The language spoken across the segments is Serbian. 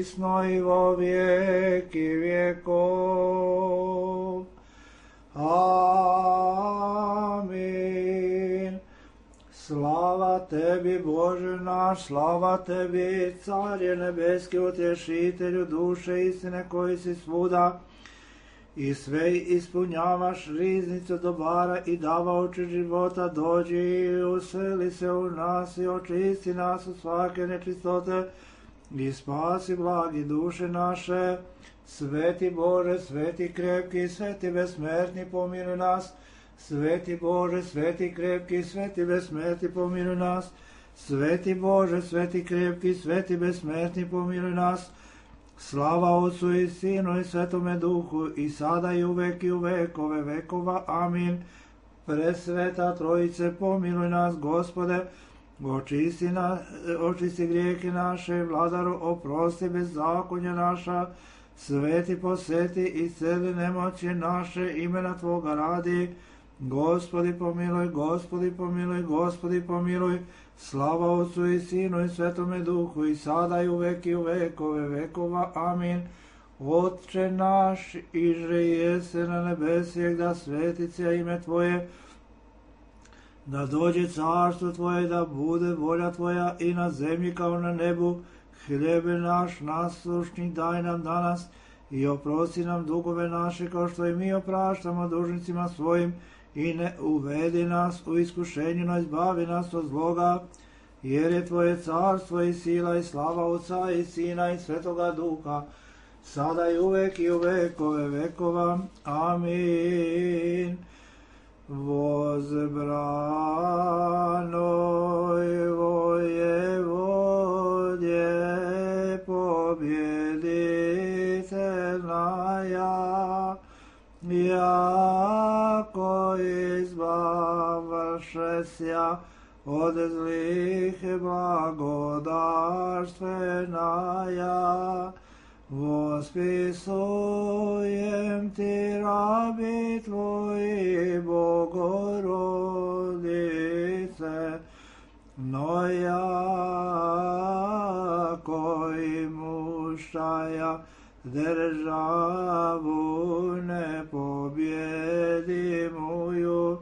prisno i vo vijeki vijekov. Amin. Slava tebi, Bože naš, slava tebi, Carje nebeski, utješitelju duše istine, koji si svuda i sve ispunjavaš riznicu dobara i davaoči života, dođi i useli se u nas i očisti nas od svake nečistote i spasi blagi duše naše. Sveti Bože, sveti krepki, sveti besmrtni, pomiluj nas. Sveti Bože, sveti krepki, sveti besmrtni, pomiluj nas. Sveti Bože, sveti krepki, sveti besmrtni, pomiluj nas. Slava Otcu i Sinu i Svetome Duhu, i sada i uvek i u vekove vekova. Amin. Presveta Trojice, pomiluj nas, Gospode, očisti grijehe naše, Vladaru, oprosti bezzakonja naša, sveti poseti i celi nemoći naše, imena Tvoga radi. Gospodi pomiluj, Gospodi pomiluj, Gospodi pomiluj. Slava Otcu i Sinu i Svetome Duhu, i sada i uvek i u vekove vekova. Amin. Otče naš, iže jese na nebesijek, da sveti se ime Tvoje, da dođe carstvo Tvoje, da bude volja Tvoja i na zemlji kao na nebu. Hljebe naš naslušni daj nam danas i oprosti nam dugove naše, kao što i mi opraštamo dužnicima svojim, i ne uvedi nas u iskušenje, no izbavi nas od zloga, jer je Tvoje carstvo i sila i slava Otca i Sina i Svetoga Duha, sada i uvek i u vekove vekova. Amin. Возбранoj Воеводje, побjeditelnaja, jako izbavšesja od zlih blagodarstvenaja. Vospisujem ti, rabi Tvoji, Bogorodice, no jako imuštaja državu nepobjedimuju,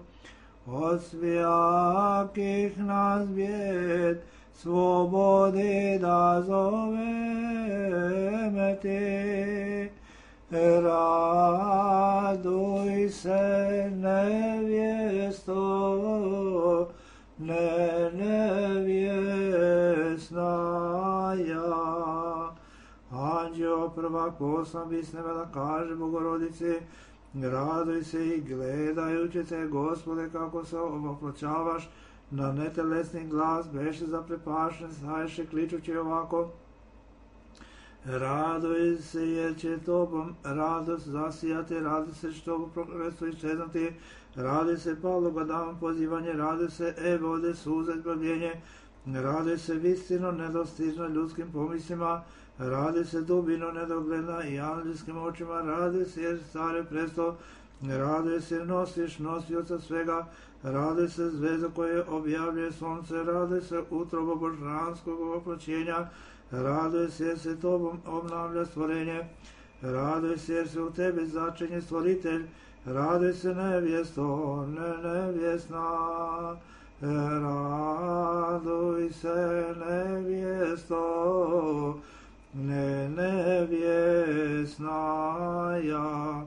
od svijakih nas bijed slobodi da zoveme ti. Raduj se, nevjesto, nevjesnaja. Anđeo prvak poslan bisneva da kaže Bogorodici, raduj se i gledajući te, Gospode, kako se oproćavaš na netelesni glas, beše zaprepašen, staješe kličući ovako: raduj se, jer će Tobom radost zasijati, raduj se što prokletstvo iščeznuti, raduj se Pavlova dama pozivanje, raduj se Evode suza izbavljenje, raduj se vistino nedostižno ljudskim pomislima, raduj se dubino nedogledna i anđelskim očima, raduj se jer stare presto, raduj se jer nosiš nosioca svega, raduj se zvezda koje objavljuje sunce, raduj se utrobo božanskog oploćenja, raduj se jer se Tobom obnavlja stvorenje, raduj se jer se u Tebi začinje stvoritelj, raduj se nevjesto, nevjesna, raduj se nevjesto, nevjesnaja.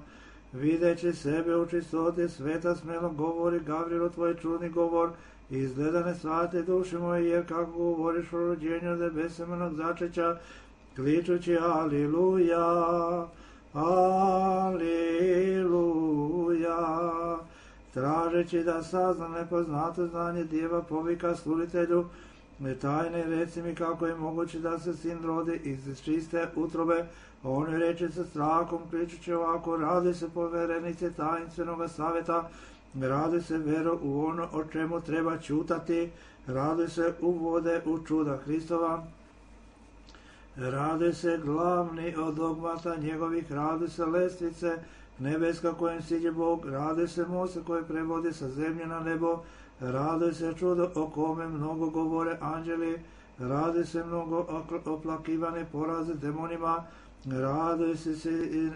Videći sebe u čistoti sveta, smelo govori Gavrilu tvoj čudni govor, izgleda ne shvate duše moje, jer kako govoriš o rođenju od nebesemenog začeća, kličući aliluja, aliluja, tražeći da sazna nepoznato znanje djeva, povika sluditelju tajne, reci mi kako je moguće da se sin rodi iz čiste utrobe. On je reče sa strahom, kličući ovako: radi se poverenice tajinstvenoga savjeta, radi se vero u ono o čemu treba ćutati, radi se u vode u čuda Hristova, radi se glavni od dogmata njegovih, radi se lestvice nebeska kojim siđe Bog, radi se most koje prevodi sa zemlje na nebo, radi se čudo o kome mnogo govore anđeli, Raduj se mnogo oplakivane poraze demonima, raduj se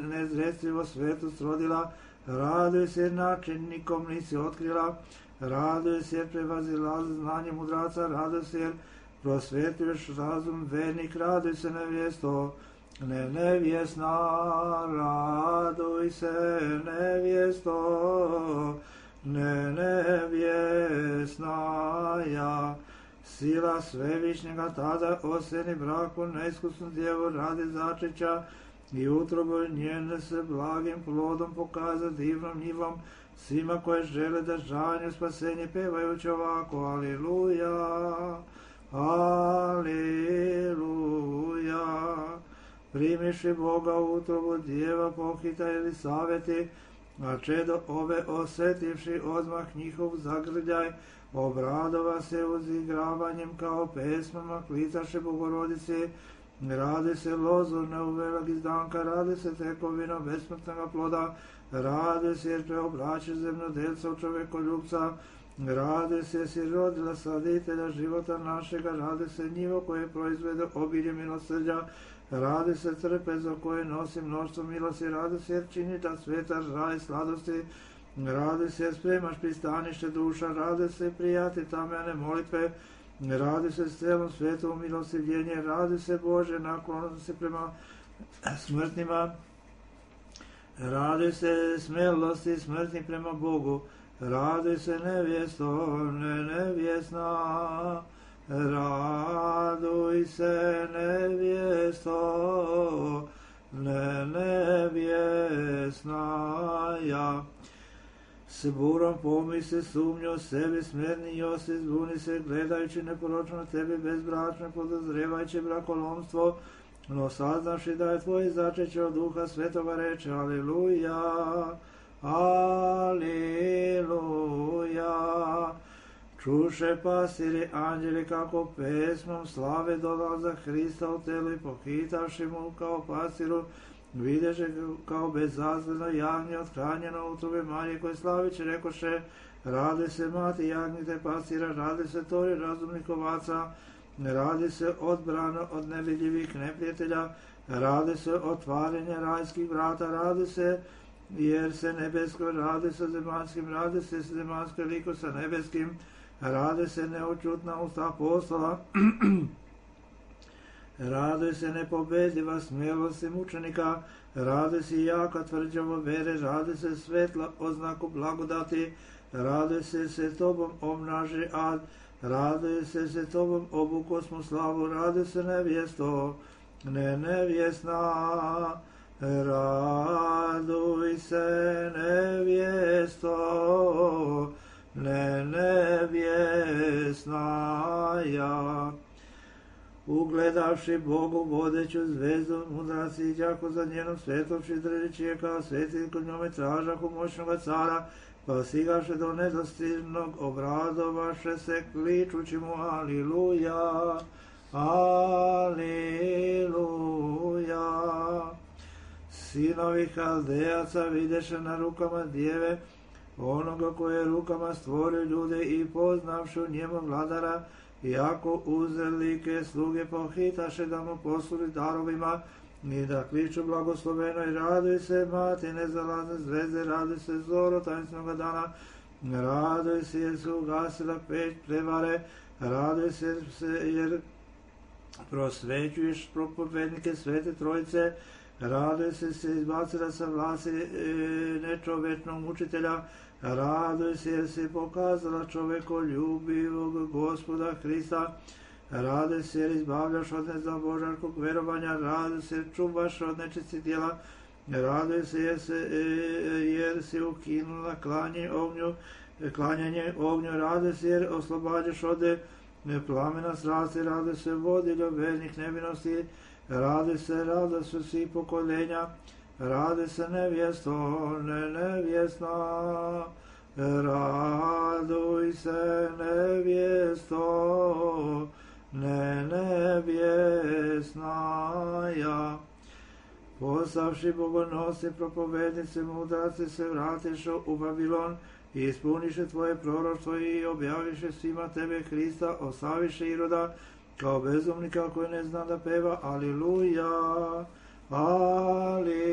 nezrestrivo svetost rodila, raduj se načinnikom nisi otkrila, raduj se jer prevazila znanje mudraca, raduj se jer prosvetuješ razum vernik, raduj se nevjesto, nevjesna, raduj se nevjesto, nevjesna ja. Sila svevišnjega tada oseni braku neiskusnu djevu radi začeća i utrobu njene se blagim plodom pokaza divnom njivom svima koje žele da žanju spasenje pevajući ovako Aliluja, Aliluja. Primiši Boga u utrobu djeva pohita Elisaveti, a čedo ove osetivši odmah njihov zagrljaj, obradova se uzigravanjem kao pesmama, klitaše Bogorodice, radi se lozu neuvelog izdanka, radi se tekovino besmrtnog ploda, radi se jer preobraće zemljodelca u čovekoljubca, radi se jer si rodila saditelja života našega, radi se njivo koje proizvede obilje milosrđa, radi se trpezo koje nosi mnoštvo milosti, radi se jer čini da sveta raj sladosti, radi se jer spremaš pristanište duša, radi se prijati tamjane molitve, radi se s celom svetom milostivljenje, radi se Bože naklonosti prema smrtnima, radi se smelosti smrtni prema Bogu, radi se nevjesto, nevjesna, raduj se nevjesto, nevjesna ja. S burom pomisli sumnju o sebi, smerni Josip, zbuni se gledajući neporočno tebi bezbračno, podozrevajući brakolomstvo, no saznavši da je tvoj začeće od Duha Svetoga reče Aliluja, Aliluja. Čuše pasiri anđeli kako pesmom slave dolaza Hrista u telu i pohitavši mu kao pasiru, videše kao bezazleno jagnje othranjeno u tube Marije koje slaviće, rekoše, radi se mati jagnjite pasira, radi se tori razumnih ovaca, radi se odbrano od nevidljivih neprijatelja, radi se otvaranje rajskih vrata, radi se jer se nebesko, radi se zemanskim, radi se zemansko liko sa nebeskim, radi se neočutna usta apostola, raduj se nepobedljiva smelosti mučenika, raduj se jaka tvrđava vere, raduj se svetla oznaku blagodati, raduj se tobom omnaži ad, raduj se tobom obukosmu slavu, raduj se nevjesto, nevjesna, raduj se nevjesto, nevjesna ja. Ugledavši Bogu vodeću zvezdu, mudraci đako za njenom svetovši držići je kao sveti kod njome tražahu moćnoga cara, pa sigaše do nedostižnog, obradovaše se kličući mu Aliluja, Aliluja. Sinovi Haldejaca videše na rukama djeve, onoga koje je rukama stvorio ljude i poznavši u njemu vladara, iako uzrlike sluge pohitaše da mu posluži darovima i da kliču blagosloveno i raduj se mati nezalazne zvezde, raduj se zoro tajnstvenog dana, raduj se jer se ugasila peć prevare, raduj se jer prosvećuješ propovednike Svete Trojice, raduj se izbacila sa vlasti nečovečnog mučitelja, raduj se jer si pokazala čovekoljubivog Gospoda Hrista, raduj se jer izbavljaš od nezabožarskog verovanja, raduj se jer čuvaš od nečistih djela, raduj se jer si ukinula klanjanje ognju, raduj se jer oslobađaš od plamena strasti, raduj se vodiljo vernih nevinosti, raduj se radost svih pokoljenja, raduj se nevjesto, nevjesna, raduj se nevjesto, nevjesna ja. Postavši bogonosci, propovednici, mudraci se vratiše u Babilon i ispuniše tvoje proroštvo i objaviše svima tebe Hrista, osaviše Iroda kao bezumnika koji ne zna da peva, aliluja, aliluja.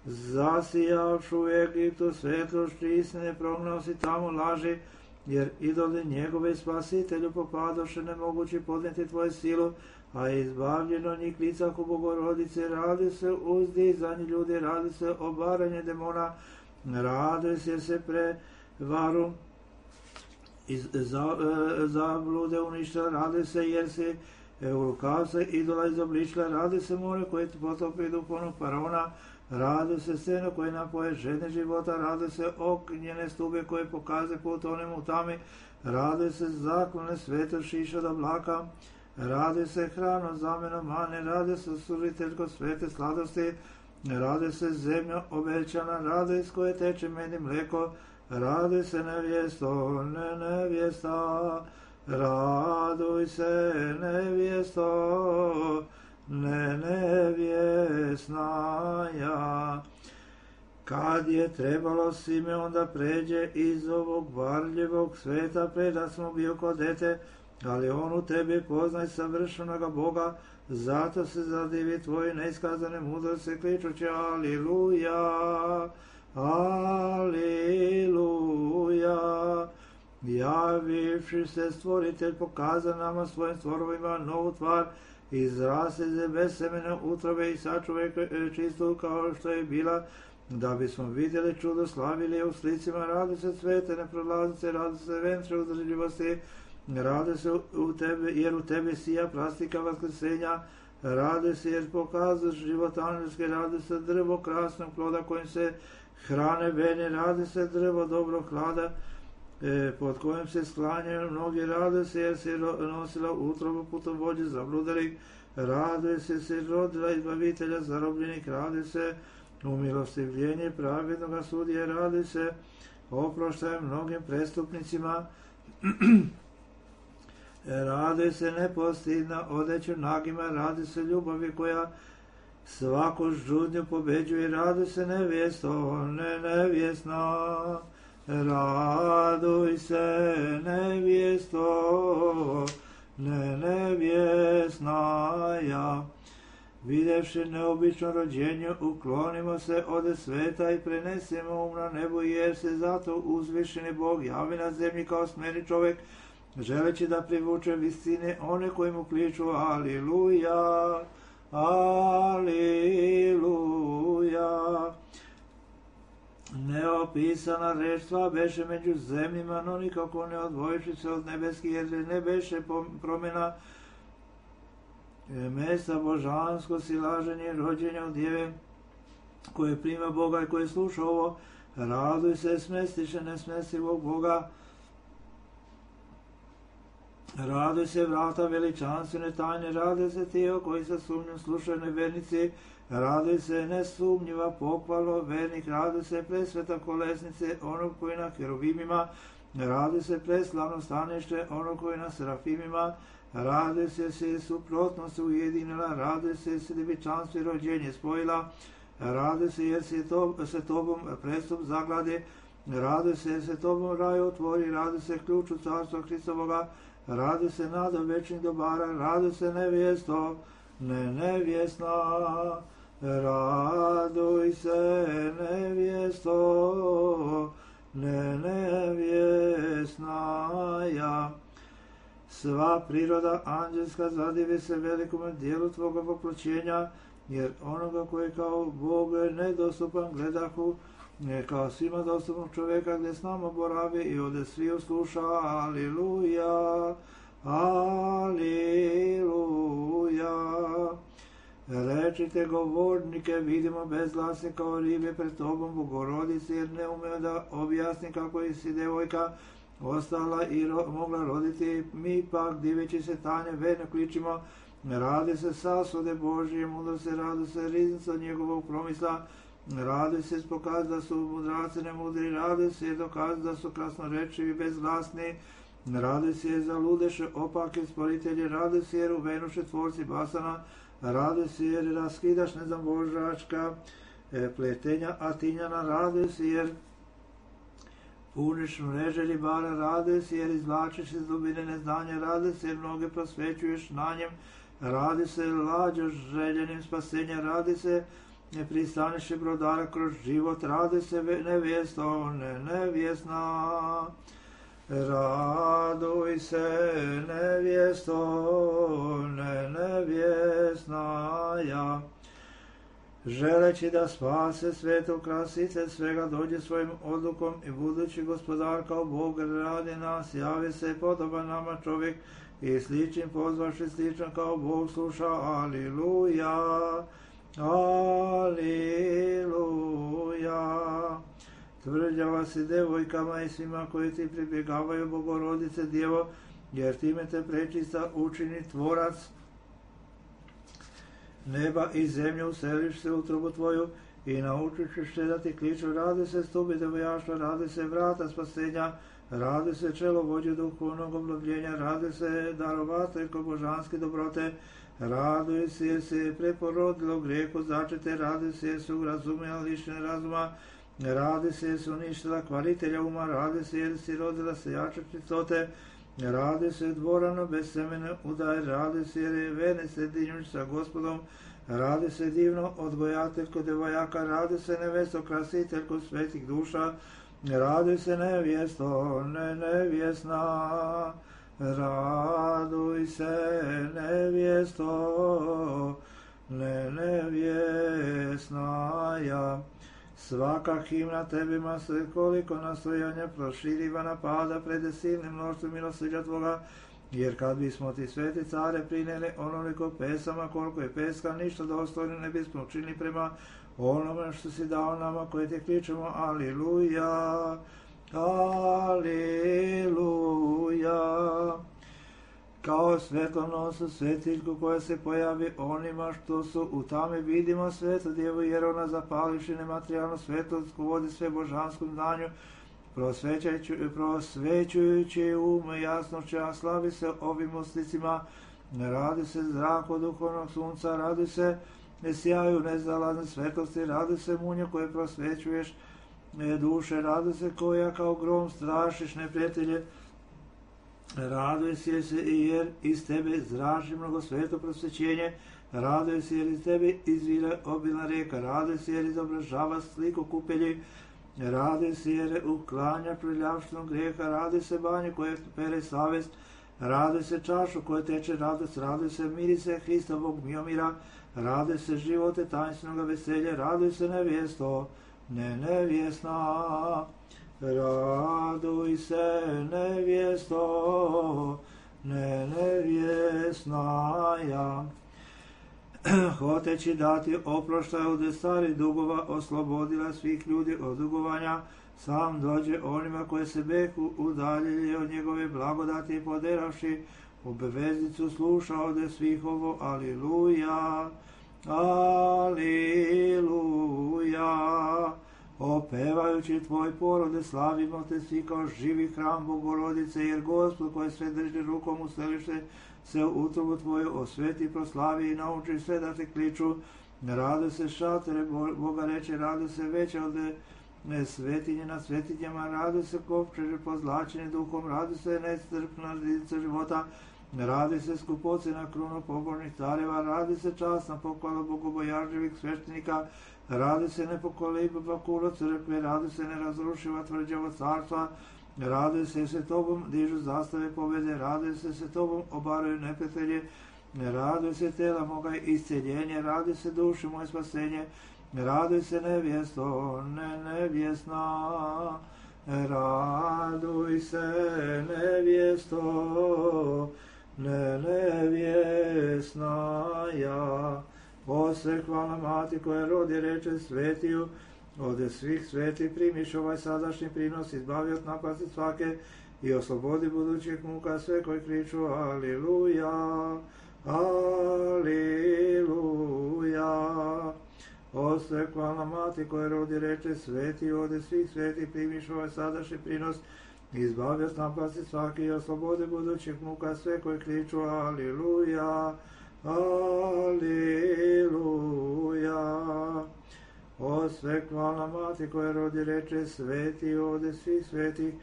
Zasijavšu u Egiptu svetlošću istine, prognao si tamo laži, jer idoli njegove spasitelju popadoše, nemogući podneti tvoju silu, a izbavljeno njih lica ko Bogorodice. Radi se uzdizanje ljudi, radi se obaranje demona, radi se jer se prevaru zablude uništila, radi se jer se u rukavce idola izobličila, radi se more koje potopi duhovnog faraona, radi se seno koje napoje žene života, radi se ognjene stube koje pokaze put onim u tami, radi se zaklone svete šiša od oblaka, radi se hrano zameno mane, radi se sužiteljko svete sladosti, radi se zemlja obećana, radi s koje teče med i mleko, radi se nevjesto, nevjesta, raduj se nevjesto, nevjesnaja. Kad je trebalo Simeon da pređe iz ovog varljivog sveta, preda smo bio kod dete, ali on u tebi poznaj savršenoga Boga, zato se zadivi tvoje neiskazane mudrosti, kličući aliluja, aliluja. Javivši se stvoritelj pokaza nama svojim stvorovima novu tvar, izrasli bez semena utrobe i sačuvaj čistu kao što je bila, da bismo vidjeli čudo, slavili u slicima. Radi se svete neprolaznice, radi se ventre uzdržljivosti, radi se u tebe, jer u tebi sija plastika vaskrsenja, radi se jer pokazuješ život anđelski, radi se drvo krasnog ploda kojim se hrane vene, radi se drvo dobrog hlada, pod kojim se sklanjaju mnogi, rade se jer se nosila utrobu putovođe zabludalih, rade se rodila izbavitelja zarobljenih, rade se umilostivljenje pravednoga sudije, rade se oproštaje mnogim prestupnicima, rade se nepostidna odeća nagima, rade se ljubavi koja svaku žudnju pobeđuje, rade se nevjesto, nevjesna, raduj se nevjesto, nevjesnaja. Videvši neobično rođenje, uklonimo se od sveta i prenesemo um na nebo, jer se zato uzvišeni Bog javi na zemlji kao smeni čovjek, želeći da privuče visine one koji mu kliču aliluja, aliluja. Neopisana reštva beše među zemljima, no nikako ne odvojiši se od nebeskih, jer ne beše promjena mesta božansko silaženje rođenja od djeve koje prima Boga i koje sluša ovo. Raduj se, smestiše nesmestivog Boga, raduj se vrata veličanstvene tajne, raduj se tijelo koji sa sumnjom slušaju nevernici, raduj se nesumnjiva pohvalo vernik, raduj se presveta kolesnice onog koji na heruvimima, raduj se preslavno stanište onog koji na serafimima, raduj se suprotnost ujedinila, raduj se djevičanstvo i rođenje spojila, raduj se jer se tobom prestup zaglade, raduj se jer se tobom raj otvori, raduj se ključu carstva Hristovoga, raduj se nada večnih dobara, raduj se nevjesto, nevjesna, raduj se nevjesto, nevjesnaja. Sva priroda anđelska zadivi se velikome dijelu tvoga poploćenja, jer onoga koji kao Bog nedostupan gledahu, kao svima dostupnog čovjeka gdje s nama boravi i ovdje svi usluša, aliluja, aliluja. Rečite govornike, vidimo bezglasni kao ribe pred tobom, Bogorodici, jer ne umeo da objasni kako je si devojka ostala i mogla roditi. Mi pak, diveći se tanje, verno kličimo, radi se sasude Božije mudrosti, radi se riznica njegovog promisla, radi se pokaz da su mudraci nemudri, radi se dokaz da su krasnorečivi bezglasni, radi se za ludeše opake stvoritelji, radi se jer uvenuše tvorci basana, radi se jer raskidaš nezambožačka pletenja Atinjana, radi se jer Puniš mreže ribara, rade se jer izvlačiš iz dubine neznanja, rade se jer mnoge prosvećuješ na njem, radi se lađa željenim spasenja, radi se pristaniše brodara kroz život, radi se nevjesto, nevjesna. Raduj se nevjesto, nevjesna ja. Želeći da spase svetu krasice svega, dođe svojim odlukom i budući gospodar kao Bog radi nas, javi se podoban nama čovjek i sličnim pozvaši sličan kao Bog sluša. Aliluja, aliluja. Tvrđava si devojkama i svima koji ti pribjegavaju, Bogorodice Djevo, jer time te prečista učini tvorac neba i zemlje, useliš se u utrobu tvoju i naučit ćeš se da ti kliču. Radi se stupi devojaštva, radi se vrata spasenja, radi se čelo vođe duhovnog obnovljenja, radi se darovateljko božanske dobrote, raduj se jer se preporodilo grijehu začete, radi se jer su razumjela lišene razuma, radi se jer su uništila kvaritelja uma, radi se jer si rodila sejača čistote, radi se dvorano bez semene udaj, radi se jer je vene sredinjuć sa gospodom, radi se divno odgojateljko devojaka, radi se nevesto krasiteljko svetih duša, radi se nevjesto, nevjesna, raduj se nevjesto, nevjesna ja. Svaka himna tebima se koliko nastojanja proširiva napada pred silnim mnoštvom milosrđa tvoga, jer kad bismo ti sveti care prineli onoliko pesama koliko je peska, ništa dostojno ne bismo učinili prema onome što si dao nama koji te kličemo. Aliluja, aliluja. Kao svjetlonosu svetiljku koja se pojavi onima što su u tami, vidimo svetu Djevu, jer ona zapalivši nematerijalnu svetlost vodi sve božanskom znanju, prosvećujući jasnošću, a slavi se ovim oslicima. Radi se zrak od duhovnog sunca, radi se sjaju nezalazne svetlosti, radi se munje koje prosvećuješ duše, radi se koja kao grom strašiš neprijatelje, raduj se jer iz tebe zrači mnogo sveto prosvećenje, raduj se jer iz tebe izvire obilna rijeka, raduj se jer izobražava sliku kupelji, raduj se jer uklanja prljavštinu grijeha, raduj se banju koje pere savest, raduj se čašu koje teče radost, raduj se mirise Hrista Bog miomira, raduj se živote tajinstvenoga veselja, raduj se nevjesto, nevjesna. Raduj se nevjesto, nevjesna ja. Hoteći dati oproštaj od starih dugova, oslobodila svih ljudi od dugovanja, sam dođe onima koje se beku udaljili od njegove blagodati, poderavši obveznicu sluša ode svih ovo. Aliluja, aliluja. Opevajući tvoj porode, slavimo te svi kao živi hram Bogorodice, jer Gospod koji sve drži rukom uselište se u utrobu tvoju osveti, proslavi i nauči sve da te kliču. Rade se šatere Boga reče, rade se veće od svetinje nad svetinjama, rade se kopčeže pozlačeni duhom, rade se nestrpna rizica života, radi se skupoci na krunu pobožnih careva, radi se časna pohvala bogobojažljivih sveštenika, radi se nepokoliba kulo crkve, radi se nerazrušiva tvrđavo carstva, radi se tobom dižu zastave pobjede, radi se tobom obaraju neprijatelje, radi se tela moga isceljenje, radi se duši moje spasenje, radi se nevjesto, nevjesna, raduj se nevjesto, nevjesna ja. Osve hvala mati koja rodi reče svetiju, ode svih sveti primiš ovaj sadašnji prinos, izbavi od napasti svake i oslobodi budućih muka sve koji kriču aliluja, aliluja. Osve hvala mati koja rodi reče svetiju, ode svih sveti primiš ovaj sadašnji prinos, izbavi od napasti svake i oslobodi budućih muka sve koji kriču aliluja, aliluja. sve hvalna mati koja rodi reče sveti ovde svih svetih,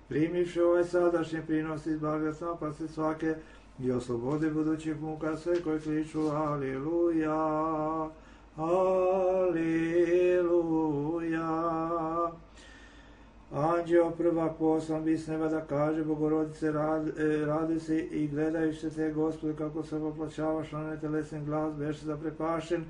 primivši ovaj sadašnji prinos izbavi od napasti svake i oslobodi budućih muka sve koji kliču Aliluja, Aliluja. Anđeo prvak poslan bi s neba da kaže Bogorodice radi se i gledajući te Gospode kako se poplaćavaš na netelesni glas beše zaprepašen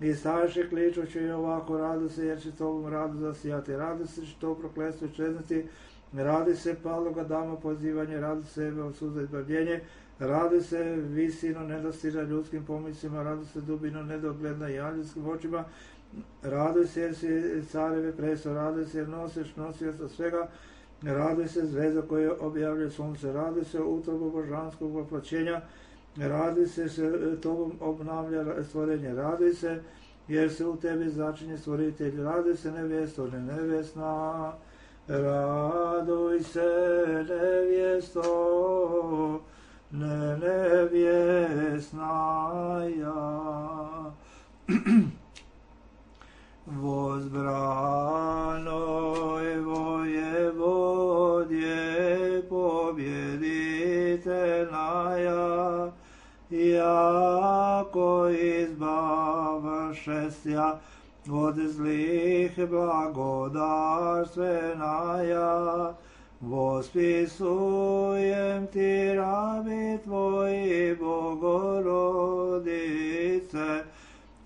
i staviše kličući i ovako radu se jer će tobom radu zasijati, radi se će to prokletstvo čezniti, radi se paloga dama pozivanje, radi se od suza izbavljenje, radi se visino nedostiža ljudskim pomislima, radi se dubino nedogledna i anđelskim očima, raduj se jer si careve preso, raduj se jer nosioca svega, raduj se zvezda koja objavljuje sunce, raduj se utrobu božanskog voplaćenja, raduj se tobom obnavlja stvorenje, raduj se jer se u tebi začinje stvoritelj, raduj se nevjesto, nevjesna, raduj se nevjesto, nevjesna ja. Возбранoj vojevodje pobjeditelnaja, jako izbavašestja od zlih blagodarstvenaja, vospisujem ti rabi tvoji Bogorodice,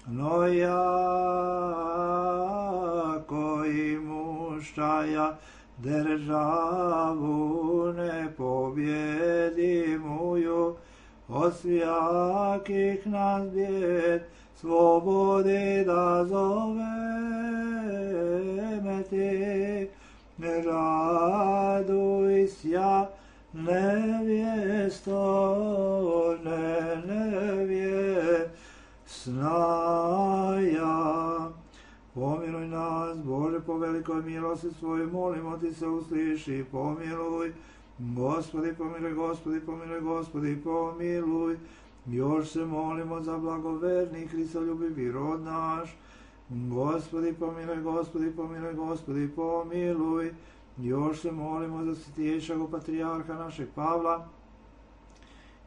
no jako imuštaja državu nepobjedimuju, od svijakih nas bijed slobodi da zoveme ti, raduj sja nevjesto, nevjesnaja. Pomiluj nas, Bože, po velikoj milosti svojoj, molimo ti se, usliši, pomiluj. Gospodi, pomiluj, Gospodi, pomiluj, Gospodi, pomiluj. Još se molimo za blagoverni Hristoljubivi rod naš. Gospodi, pomiluj, Gospodi, pomiluj, Gospodi, pomiluj. Još se molimo za svjetiješćeg patrijarha našeg Pavla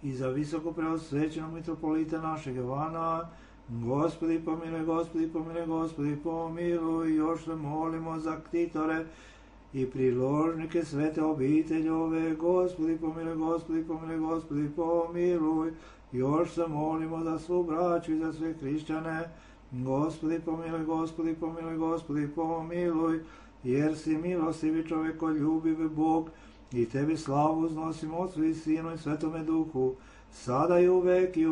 i za visoko preosvećenog mitropolita našeg Jovana. Gospodi, pomiluj, Gospodi, pomiluj, Gospodi, pomiluj. Još se molimo za ktitore i priložnike svete obiteljove. Gospodi, pomiluj, Gospodi, pomiluj, Gospodi, pomiluj. Još se molimo za svu braću i za sve hrišćane. Gospodi, pomiluj, Gospodi, pomiluj, Gospodi, pomiluj. Jer si milostivi čovjekoljubiv Bog, i tebi slavu uznosimo Otcu i Sinu i Svetome Duhu, sada i u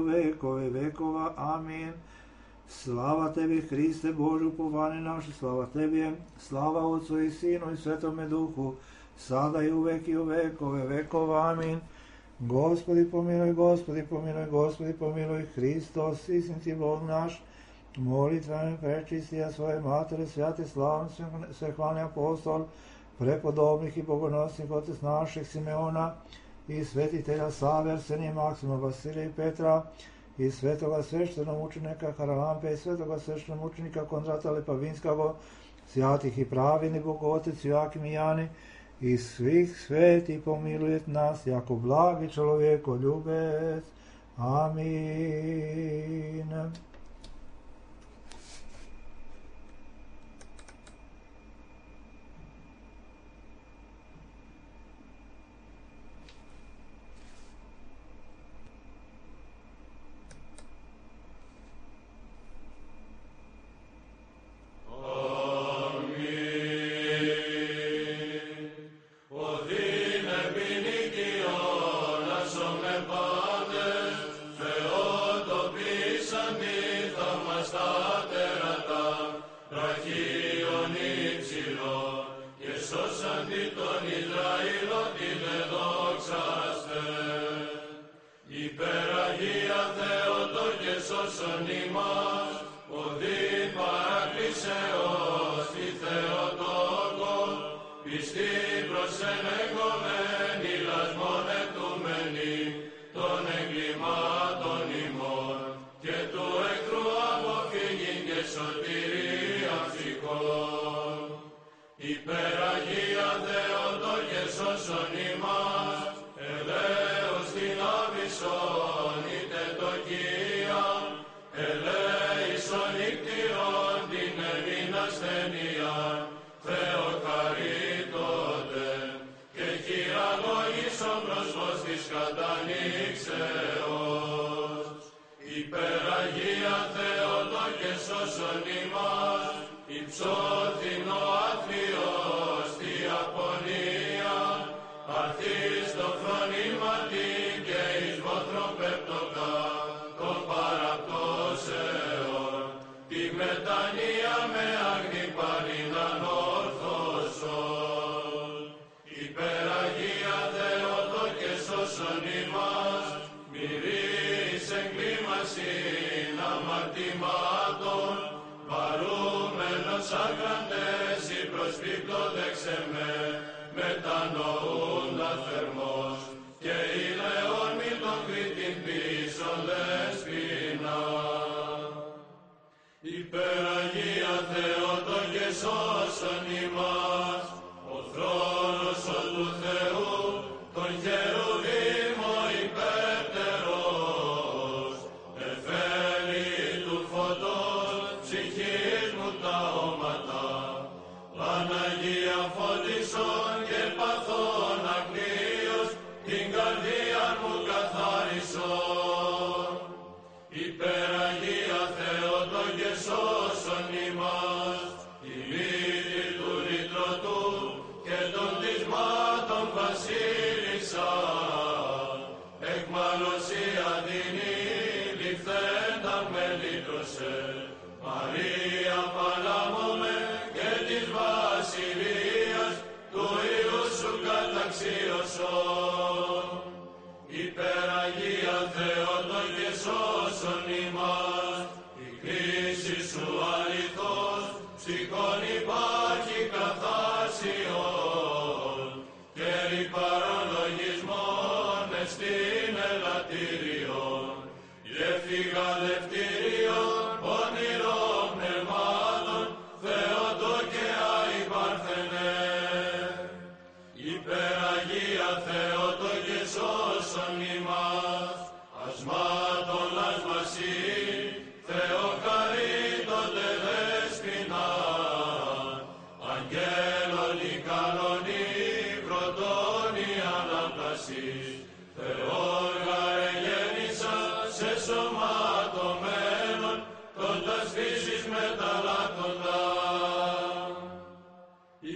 vekove vekova. Amin. Slava tebi, Hriste Bože, upovanje naše, slava tebi, slava Otcu i Sinu i Svetome Duhu, sada i u vekove vekova. Amin. Gospodi pomiluj, Gospodi pomiluj, Gospodi pomiluj, Hristos, istinski Bog naš, molitvami prečistija svoje matere, svjate slavne, svehvalni apostol, prepodobnih i bogonosnih otec naših Simeona i svetitelja Save, Arsenija, Maksima, Vasilija i Petra i svetoga sveštenog učenika Haralampe i svetoga sveštenog učenika Kondrata Lepavinskog, svjatih i pravini Bogotec Joakim i Jani i svih sveti pomilujet nas jako blagi čovjekoljubec. Amin. Σωτηρία ψυχών. Υπεραγία Θεότο και σώσον ημάς, ελέος την άβυσσον είτε το Κύριον, ελέησον νύκτηρον την εμήν ασθενείαν, Θεό χαρίτωτε, και χειραγώγησον πρόσφος της κατανοίξεως. Υπεραγία Θεότο και σώσον ημάς, υψώθην ο άθλιος τη απονία, αρθείς το φρονήματι και εις βοθροπέπτοκα των παραπτώσεων, τη μετανία με άγνη παρήναν όρθωσον. Υπεραγία Θεότο και σώσον ημάς, μυρείς εγκλήμασιν αμαρτημάτων, παρούμενος άγραντες ή προσπίπτωδεξε μετανοούντα θερμός, και ηλαιόν μη τον κρίτην πίσον δεσποινα. Υπεραγία Θεότο και σώσον ημάς, ο θρόνος ο του Θεού, τον χερουβίμ ο υπέρτερος, εφέλη του φωτός, ψυχής μου τα όματα, Παναγία φώτισον και παθών αγνίος, την καρδία μου καθάρισον. Υπεραγία Θεότο και σώσον ημάς, η μύτη του λυτρωτού και των δυσμάτων βασίλισσα, εκμαλωσία δίνει ληφθέντα με λύτρωσε, Μαρία παλάμωμε και της βασιλείας του Υιού σου καταξίωσον. Υπεραγία Θεότο και σώσον ημάς, η κρίση σου αληθώς ψυχών υπάρχει καθάσιον, και ρηπαρολογισμόν εστίν ελαττήριον, γεύθηγα δευτήριον πονηρών πνευμάτων, Θεότο και αϊπαρθενέ. Υπεραγία Θεότο και σώσον ημάς, ασμάτων ασμασίν, Θεό χαρίτωτε δέσποινα, αγγέλων η καλονή, πρωτών η αναπτασής, Θεόργα εγέννησα σε σωματωμένων, κοντάς φύσης μεταλλάκοντα.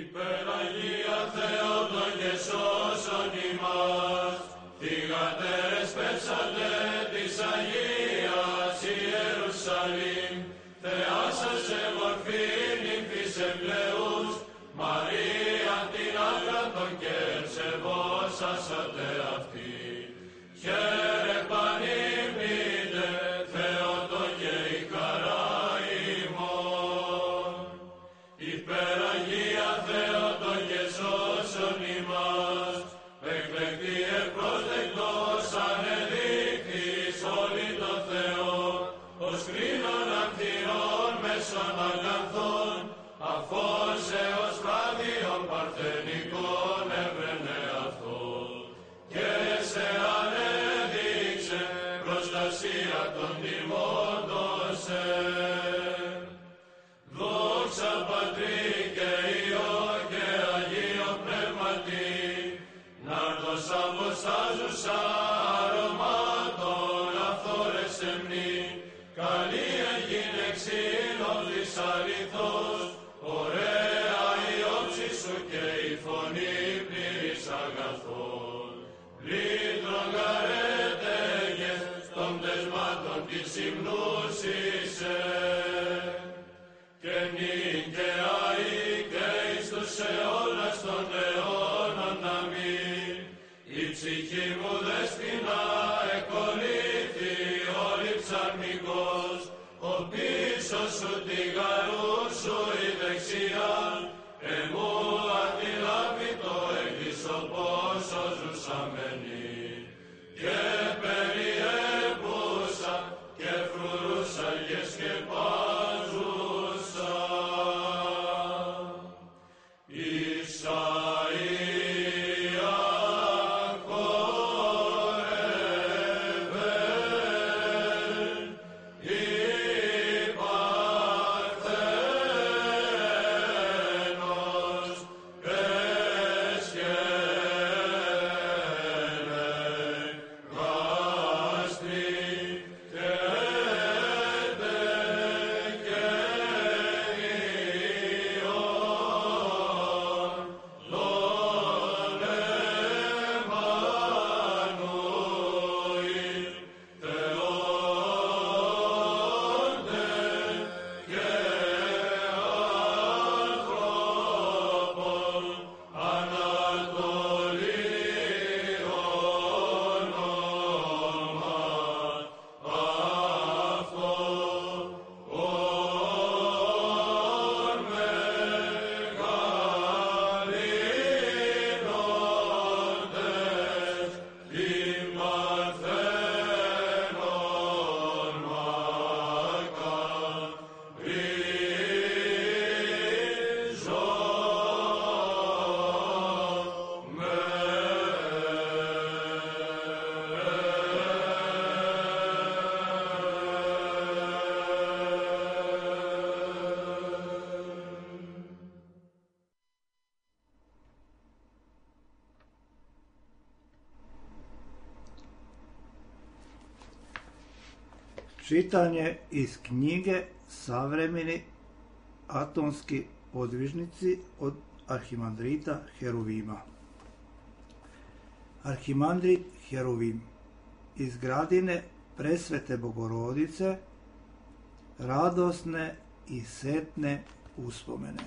Υπεραγία Θεότο και σώσον ημάς, θυγατέρες πέσατε της Αγίας Ιερουσαλήμ, Θεά σας σε μορφήν νυμφής εμπλεούς, Μαρία την άγραντον και ευσεβόσασατε αυτή. Χαίρε πανήμνητε, Θεότο και η χαρά ημών. Υπεραγία Θεότο και σώσον ημάς, εκλεκτή ευπρόσδεκτος ανεδείχθης όλοι το Θεό, ως κρίνων αμφιρών μέσων αγαθών, αφόσεως φράδιον παρθενικών έβρενε αυτό, και σε ανέδειξε προστασία των τιμώντων σε. Δόξα Πατρί και Υιό και Αγίο Πνεύματι, να'ρδος αποστάζουσα αρωμάτων αυθόρες εμνή, καλή έγινε ξύλωδης αληθώς, ωραία η όψη σου και η φωνή πλήρης αγαθών. Λύτρον γαρέτεγες των πτεσμάτων της υμνούσισε, και νυν και αεί και εις τους αιώνας των αιώνων αμήν. Η ψυχή μου δέσποινα εκολύθη όλη ψαρμικός, ο πίσω σου τη γαρού σου η δεξιά, εμού αντιλάπητο έκλεισο πόσο ζουσαμένη, και περιέπουσα και φρουρούσα και σκεπάζουσα. Čitanje iz knjige Savremeni atomski podvižnici od Arhimandrita Heruvima. Arhimandrit Heruvim iz Gradine Presvete Bogorodice, radosne i setne uspomene.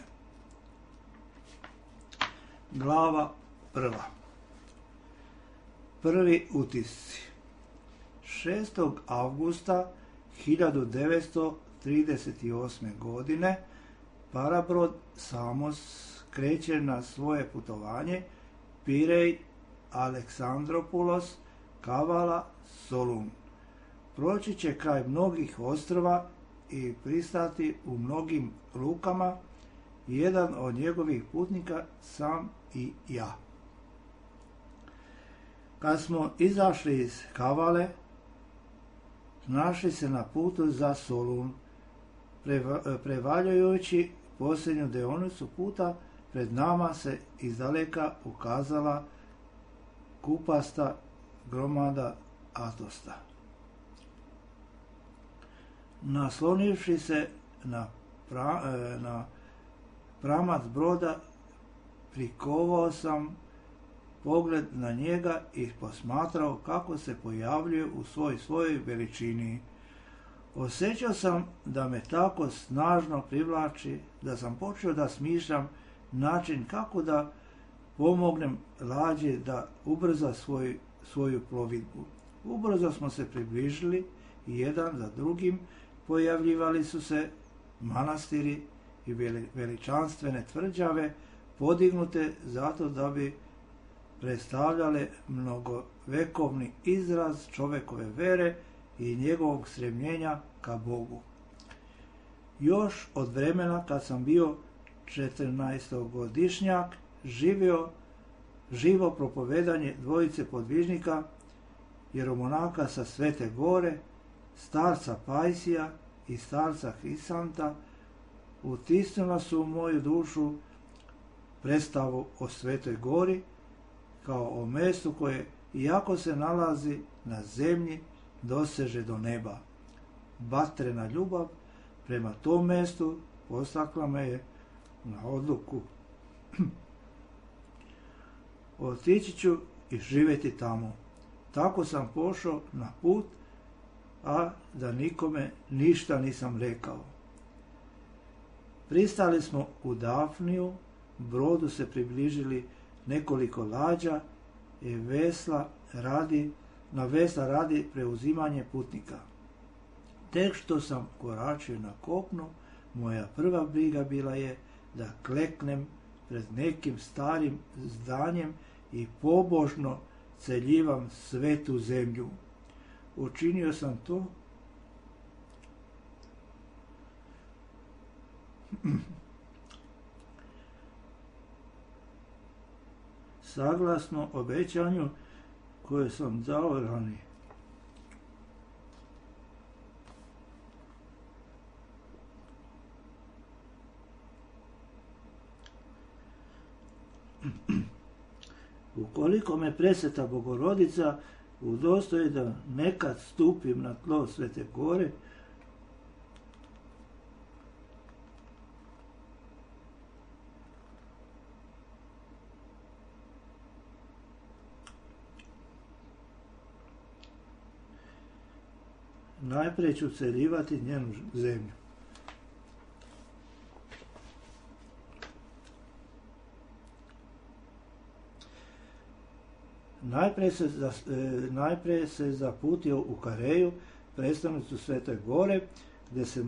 Glava prva. Prvi utisci. 6. avgusta 1938. godine parabrod Samos kreće na svoje putovanje Pirej, Aleksandropulos, Kavala, Solun. Proći će kraj mnogih ostrva i pristati u mnogim lukama. Jedan od njegovih putnika sam i ja. Kad smo izašli iz Kavale, našli se na putu za Solun. Prevaljujući posljednju deonicu puta, pred nama se izdaleka ukazala kupasta gromada Atosta. Naslonivši se na pramac broda, prikovao sam pogled na njega i posmatrao kako se pojavljuje u svojoj veličini. Osjećao sam da me tako snažno privlači da sam počeo da smišljam način kako da pomognem lađi da ubrza svoju plovidbu. Ubrzo smo se približili i jedan za drugim pojavljivali su se manastiri i veličanstvene tvrđave podignute zato da bi predstavljale mnogovekovni izraz čovekove vere i njegovog stremljenja ka Bogu. Još od vremena kad sam bio 14-godišnjak živo propovedanje dvojice podvižnika, jeromonaka sa Svete Gore, starca Pajsija i starca Hrisanta, utisnula su u moju dušu predstavu o Svetoj Gori kao o mestu koje, iako se nalazi na zemlji, doseže do neba. Vatrena ljubav prema tom mestu postakla me je na odluku. Otići ću i živjeti tamo. Tako sam pošao na put, a da nikome ništa nisam rekao. Pristali smo u Dafniju, brodu se približili nekoliko lađa i na vesla radi preuzimanje putnika. Tek što sam koračio na kopnu, moja prva briga bila je da kleknem pred nekim starim zdanjem i pobožno celjivam svetu zemlju. Učinio sam to saglasno obećanju koje sam dao ranije. Ukoliko me Presveta Bogorodica udostoji da nekad stupim na tlo Svete Gore, najprije ću celjivati njenu zemlju. Najprije se zaputio u Kareju, predstavnicu Svete Gore, gdje se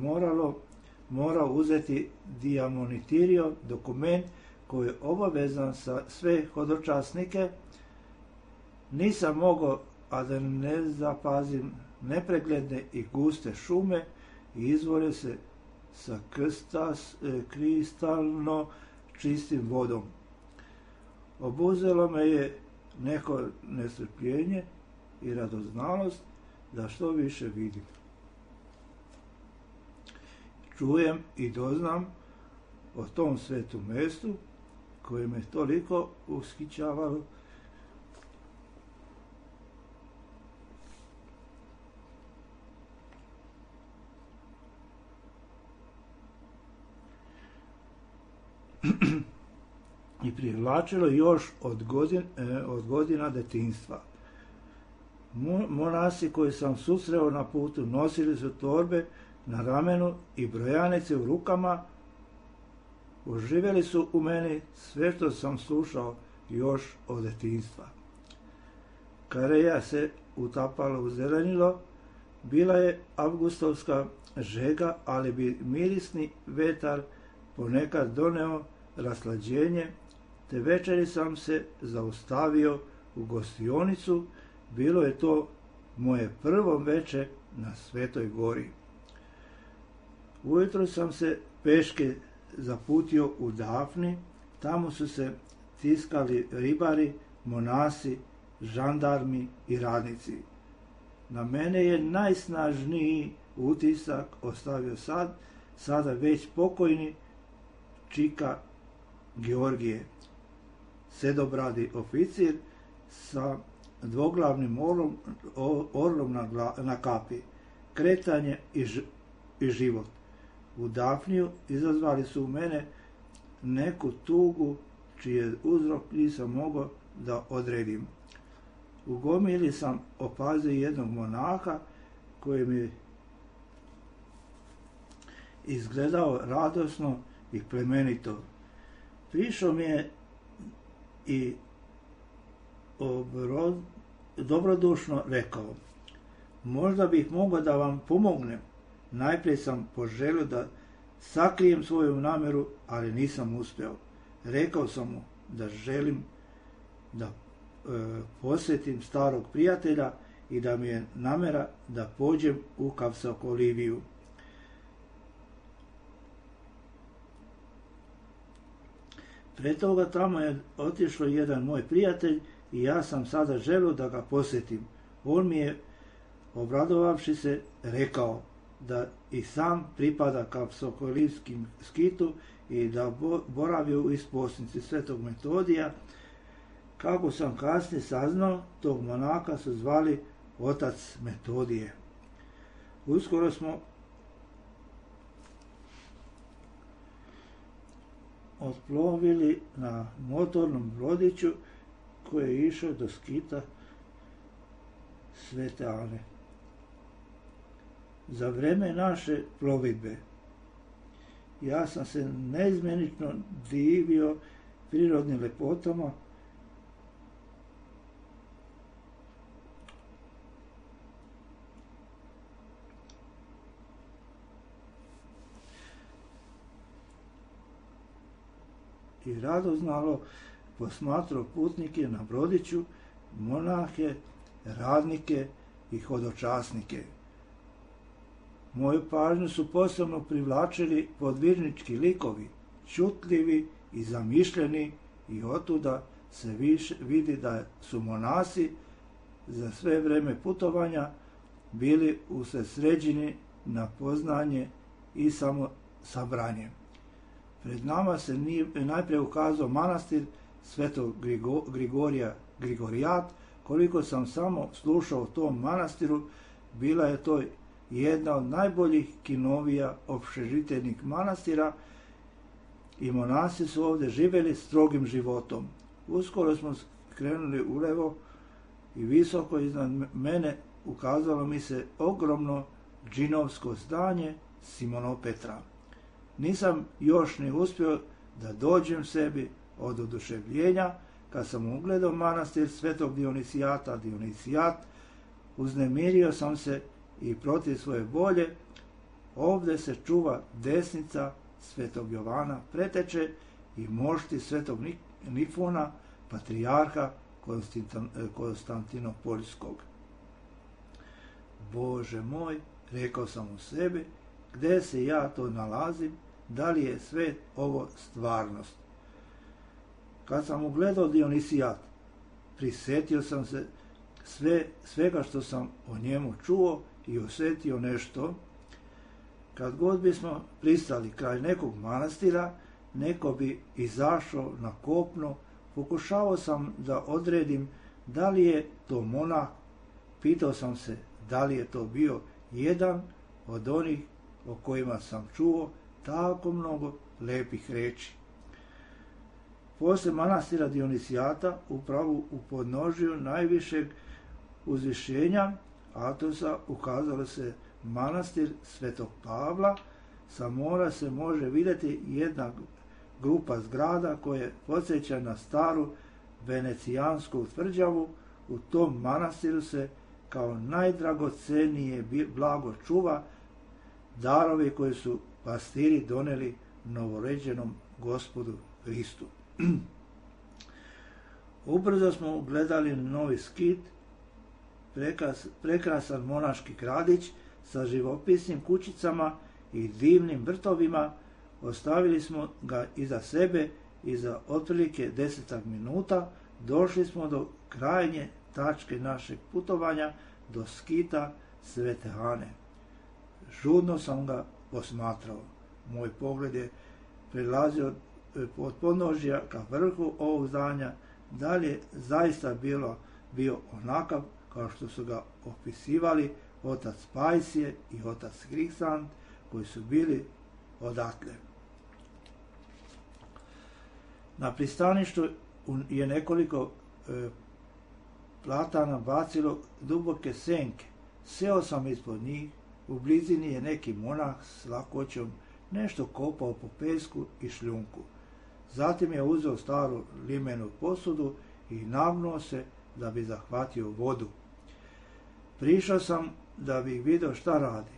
morao uzeti diamonitirio, dokument koji je obavezan za sve hodočasnike. Nisam mogao, a da ne zapazim nepregledne i guste šume i izvore se sa kristalno čistim vodom. Obuzelo me je neko nestrpljenje i radoznalost da što više vidim. Čujem i doznam o tom svetom mjestu koje me toliko ushićavalo i privlačilo još od godina detinjstva. Monasi koji sam susreo na putu nosili su torbe na ramenu i brojanice u rukama. Oživjeli su u meni sve što sam slušao još od detinjstva. Kareja se utapala u zelenilo, bila je avgustovska žega, ali bi mirisni vetar ponekad doneo raslađenje, te večeri sam se zaustavio u gostionicu. Bilo je to moje prvo veče na Svetoj gori. Ujutro sam se peške zaputio u Dafni, tamo su se tiskali ribari, monasi, žandarmi i radnici. Na mene je najsnažniji utisak ostavio sada već pokojni čika Georgije, sedobradi oficir sa dvoglavnim orlom na kapi, kretanje i život. U Dafniju izazvali su u mene neku tugu čiji uzrok nisam mogao da odredim. U gomili sam opazio jednog monaha koji mi izgledao radosno i plemenito. Prišao mi je i dobrodušno rekao: možda bih mogao da vam pomognem. Najprije sam poželio da sakrijem svoju namjeru, ali nisam uspeo. Rekao sam mu da želim da posjetim starog prijatelja i da mi je namjera da pođem u Kapsakoliviju. Pre toga tamo je otišao jedan moj prijatelj i ja sam sada želio da ga posjetim. On mi je, obradovavši se, rekao da i sam pripada Kapsakolivskim skitu i da boravio u isposnici Svetog Metodija. Kako sam kasnije saznao, tog monaka su zvali otac Metodije. Uskoro smo otplovili na motornom brodiću koji je išao do skita Svete Ane. Za vreme naše plovidbe ja sam se neizmjenično divio prirodnim lepotama i radoznalo posmatrao putnike na brodiću, monahe, radnike i hodočasnike. Moju pažnju su posebno privlačili podvižnički likovi, čutljivi i zamišljeni, i otuda se vidi da su monasi za sve vreme putovanja bili usredsređeni na poznanje i samo sabranje. Pred nama se najprije ukazao manastir Svetog Grigorijat. Koliko sam samo slušao o tom manastiru, bila je to jedna od najboljih kinovija opšežiteljnih manastira i monasi su ovdje živjeli strogim životom. Uskoro smo krenuli ulevo i visoko iznad mene ukazalo mi se ogromno džinovsko zdanje Simonopetra. Nisam još ni uspio da dođem sebi od oduševljenja kad sam ugledao manastir Svetog Dionisijat, uznemirio sam se i protiv svoje volje. Ovdje se čuva desnica Svetog Jovana Preteče i mošti Svetog Nifona, patrijarha Konstantinopoljskog. Bože moj, rekao sam u sebi, gde se ja to nalazim, da li je sve ovo stvarnost? Kad sam ugledao Dionisijat, prisjetio sam se svega što sam o njemu čuo i osjetio nešto. Kad god bismo pristali kraj nekog manastira, neko bi izašao na kopno, pokušavao sam da odredim da li je to monah, pitao sam se da li je to bio jedan od onih o kojima sam čuo tako mnogo lepih reči. Poslije manastira Dionisijata, upravo u podnožju najvišeg uzvišenja Atosa ukazalo se manastir Svetog Pavla. Sa mora se može vidjeti jedna grupa zgrada koje podsjeća na staru venecijansku tvrđavu. U tom manastiru se kao najdragocenije blago čuva darovi koje su pastiri doneli novoređenom Gospodu Hristu. Ubrzo smo gledali novi skit, prekrasan monaški gradić sa živopisnim kućicama i divnim vrtovima. Ostavili smo ga iza sebe i za otprilike 10 minuta došli smo do krajnje tačke našeg putovanja, do skita Svete Ane. Žudno sam ga posmatrao. Moj pogled je prelazio od podnožja ka vrhu ovog zdanja. Dalje zaista bio onakav kao što su ga opisivali otac Pajsije i otac Hriksant, koji su bili odatle. Na pristaništu je nekoliko platana bacilo duboke senke. Seo sam ispod njih, u blizini je neki monah s lakoćom nešto kopao po pesku i šljunku. Zatim je uzeo staru limenu posudu i nagnuo se da bi zahvatio vodu. Prišao sam da bih vidio šta radi.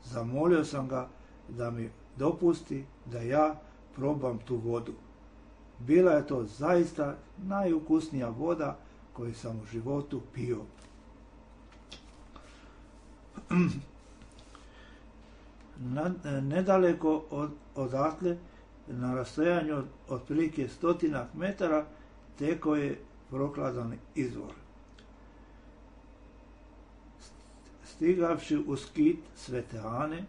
Zamolio sam ga da mi dopusti da ja probam tu vodu. Bila je to zaista najukusnija voda koju sam u životu pio. Nedaleko odatle, na rastojanju od otprilike 100 metara, tekao je prokladan izvor. Stigavši u skit Svete Ane,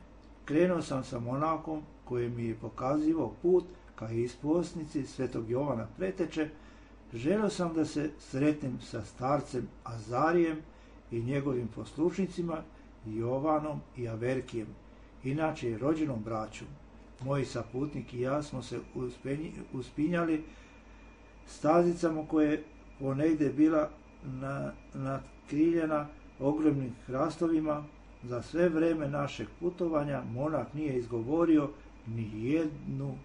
krenuo sam sa monahom koji mi je pokazivao put ka isposnici Svetog Jovana Preteče. Želio sam da se sretnem sa starcem Azarijem i njegovim poslušnicima Jovanom i Averkijem, inače rođenom braćom. Moji saputnik i ja smo se uspinjali stazicama koje ponegdje bila natkriljena ogromnim hrastovima. Za sve vreme našeg putovanja monah nije izgovorio ni jednu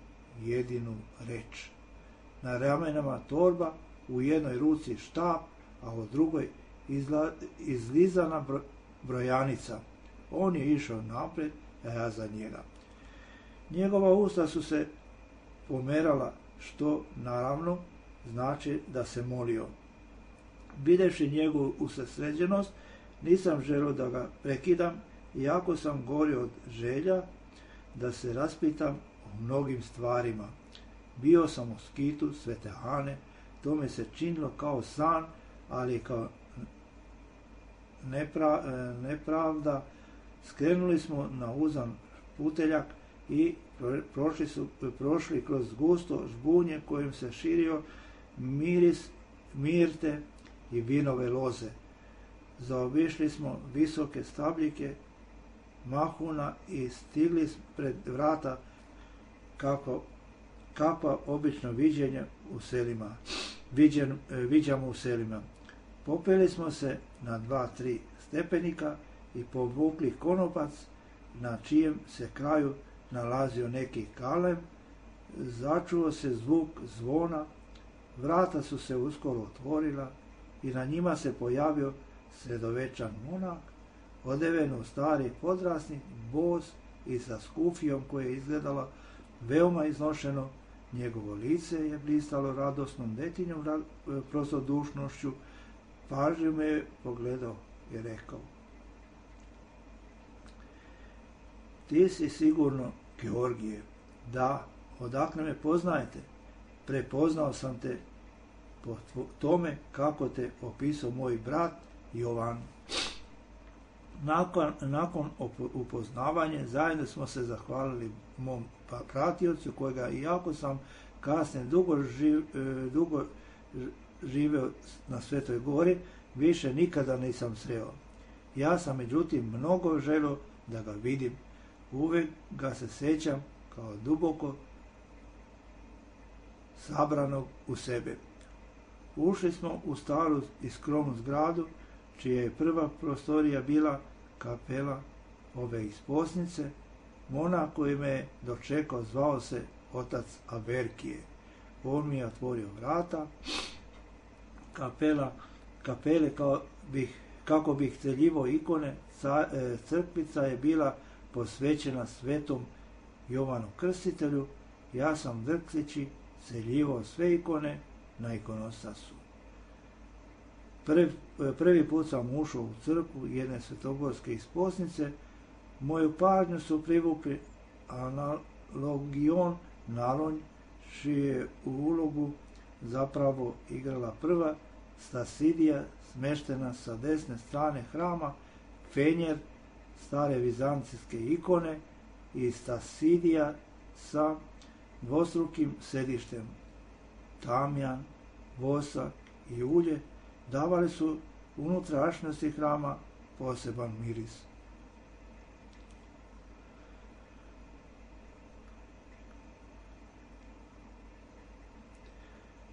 jedinu reč. Na ramenama torba, u jednoj ruci štap, a u drugoj izlizana brojanica. On je išao napred, a ja za njega. Njegova usta su se pomerala, što naravno znači da se molio. Videvši njegovu usredsređenost, nisam želio da ga prekidam, iako sam gorio od želja da se raspitam o mnogim stvarima. Bio sam u skitu Svete Ane, to mi se činilo kao san, ali kao nepravda. Skrenuli smo na uzan puteljak i prošli kroz gusto žbunje kojim se širio miris mirte i vinove loze. Zaobišli smo visoke stabljike mahuna i stigli pred vrata kakva obično viđamo u selima. Popeli smo se na 2-3 stepenika i povukli konopac, na čijem se kraju nalazio neki kalem. Začuo se zvuk zvona, vrata su se uskoro otvorila i na njima se pojavio sredovečan monah, odeven u stari podrasnik, bos i sa skufijom koje je izgledalo veoma iznošeno. Njegovo lice je blistalo radosnom detinjom prostodušnošću. Pažljivo me je pogledao i rekao: "Ti si sigurno Georgije." "Da, odakle me poznajete?" "Prepoznao sam te po tome kako te opisao moj brat Jovan." Nakon upoznavanja zajedno smo se zahvalili mom pratiocu, kojega iako sam kasnije dugo živeo na Svetoj Gori, više nikada nisam sreo. Ja sam međutim mnogo želio da ga vidim. Uvijek ga se sjećam kao duboko sabranog u sebe. Ušli smo u staru i skromnu zgradu, čija je prva prostorija bila kapela ove isposnice. Monah koji me je dočekao zvao se otac Averkije. On mi je otvorio vrata. Kapele kako bih celjivo ikone, crkvica je bila posvećena svetom Jovanu Krstitelju. Ja sam drkseći celjivao sve ikone na ikonostasu. Prvi put sam ušao u crkvu jedne svetogorske isposnice. Moju pažnju su privukli analogion Nalonj, čiju je u ulogu zapravo igrala prva Stasidija, smeštena sa desne strane hrama, Fenjer, stare vizancijske ikone, i Stasidija sa dvostrukim sedištem. Tamjan, vosak i ulje davali su unutrašnjosti hrama poseban miris.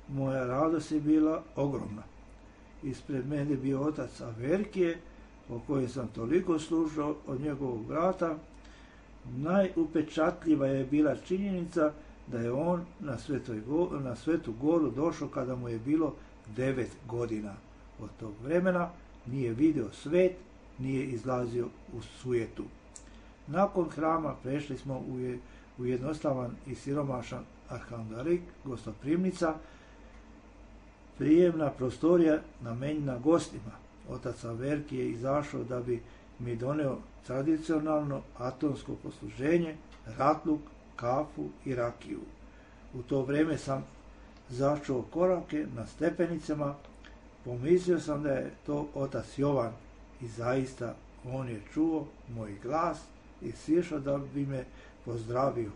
Moja radost je bila ogromna. Ispred mene bio otac Averkije, o kojem sam toliko slušao od njegovog brata. Najupečatljiva je bila činjenica da je on na Svetu Goru došao kada mu je bilo 9 godina. Od tog vremena nije vidio svet, nije izlazio u sujetu. Nakon hrama prešli smo u jednostavan i siromašan arhandarik, gostoprimnica, prijemna prostorija namenjena gostima. Otac Averkije je izašao da bi mi doneo tradicionalno atonsko posluženje, ratluk, kafu i rakiju. U to vrijeme sam začuo korake na stepenicama. Pomislio sam da je to otac Jovan i zaista on je čuo moj glas i sišao da bi me pozdravio.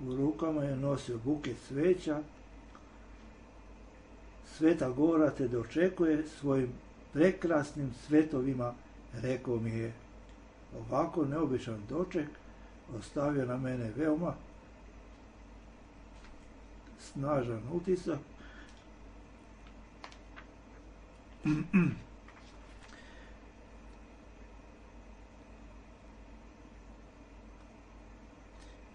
U rukama je nosio buket cveća. Sveta Gora te dočekuje svojim prekrasnim svetovima, rekao mi je. Ovako neobičan doček ostavio na mene veoma snažan utisak.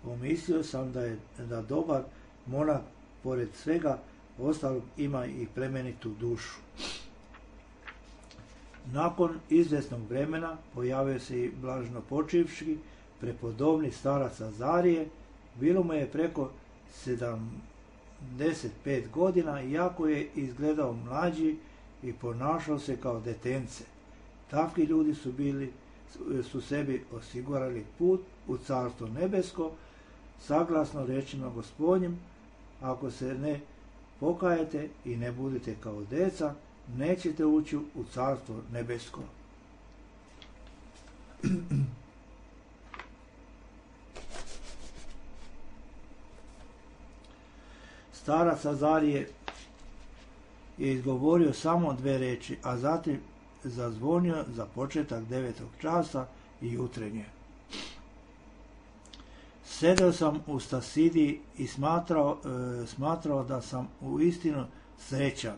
Pomislio sam da dobar monah pored svega ostalog ima i plemenitu dušu. Nakon izvjesnog vremena pojavio se i blažnopočivši prepodobni starac Azarije. Bilo mu je preko 75 godina, iako je izgledao mlađi i ponašao se kao detence. Takvi ljudi su sebi osigurali put u Carstvo nebesko, saglasno rečima Gospodnjim: ako se ne pokajete i ne budete kao deca, nećete ući u Carstvo nebesko. Starac Azarije je izgovorio samo 2 riječi, a zatim zazvonio za početak 9. časa i jutrenje. Sedeo sam u Stasidiji i smatrao da sam uistinu srećan.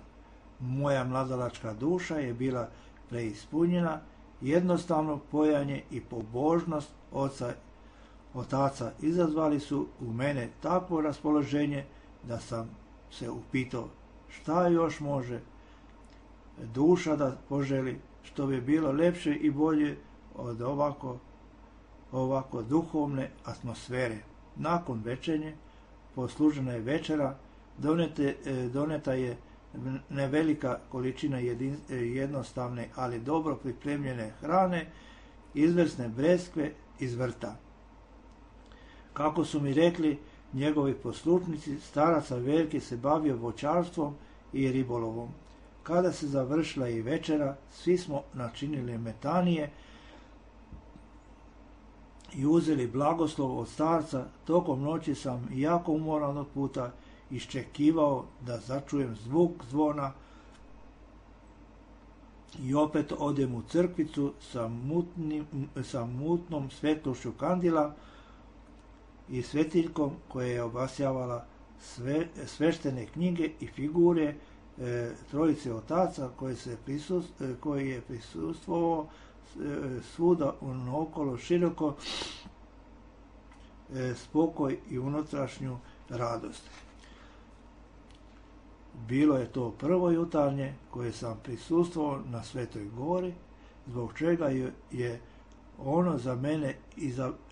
Moja mladalačka duša je bila preispunjena, jednostavno pojanje i pobožnost otaca izazvali su u mene takvo raspoloženje da sam se upitao šta još može duša da poželi, što bi bilo lepše i bolje od ovako duhovne atmosfere. Nakon večernje poslužena je večera, doneta je nevelika količina jednostavne, ali dobro pripremljene hrane, izvrsne breskve iz vrta. Kako su mi rekli njegovi poslušnici, starac Averkije se bavio voćarstvom i ribolovom. Kada se završila i večera, svi smo načinili metanije i uzeli blagoslov od starca. Tokom noći sam jako umoran od puta iščekivao da začujem zvuk zvona i opet odem u crkvicu sa mutnom svetlošću kandila i svetiljkom koja je obasjavala sveštene knjige i figure trojice otaca koji je prisustvovao svuda okolo široko spokoj i unutrašnju radost. Bilo je to prvo jutarnje koje sam prisustvovao na Svetoj gori, zbog čega je ono za mene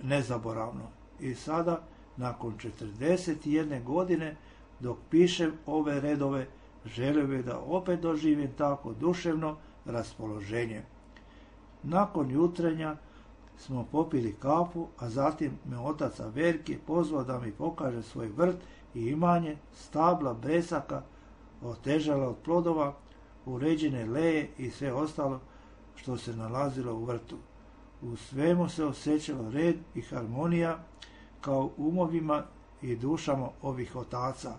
nezaboravno. I sada, nakon 41 godine, dok pišem ove redove, želio bih da opet doživim tako duševno raspoloženje. Nakon jutrenja smo popili kafu, a zatim me otac Averki pozvao da mi pokaže svoj vrt i imanje, stabla, bresaka, otežala od plodova, uređene leje i sve ostalo što se nalazilo u vrtu. U svemu se osjećalo red i harmonija kao umovima i dušama ovih otaca.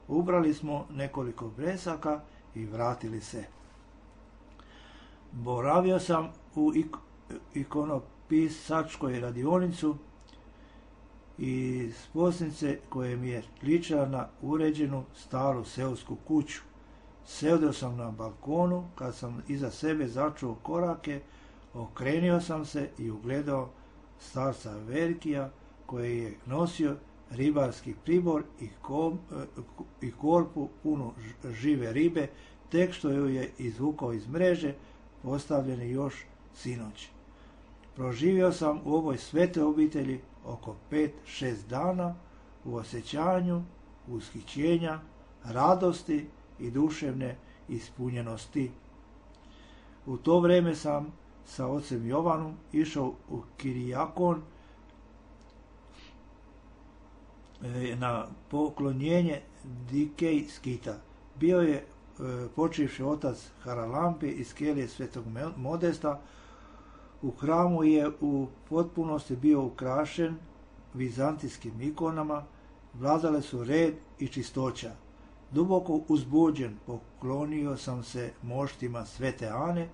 Ubrali smo nekoliko bresaka i vratili se. Boravio sam u ikonopisačkoj radionicu i sposnice koje mi je ličila na uređenu staru seosku kuću. Sedeo sam na balkonu, kad sam iza sebe začuo korake, okrenio sam se i ugledao starca Verkija koji je nosio ribarski pribor i korpu punu žive ribe, tek što ju je izvukao iz mreže, postavljene još sinoć. Proživio sam u ovoj svete obitelji oko 5-6 dana u osjećanju ushićenja, radosti i duševne ispunjenosti. U to vrijeme sam sa ocem Jovanom išao u Kirijakon na poklonjenje Dikej skita. Bio je počivši otac Haralampi iz kelije Svetog Modesta. U hramu je u potpunosti bio ukrašen vizantijskim ikonama, vladale su red i čistoća. Duboko uzbuđen poklonio sam se moštima Svete Ane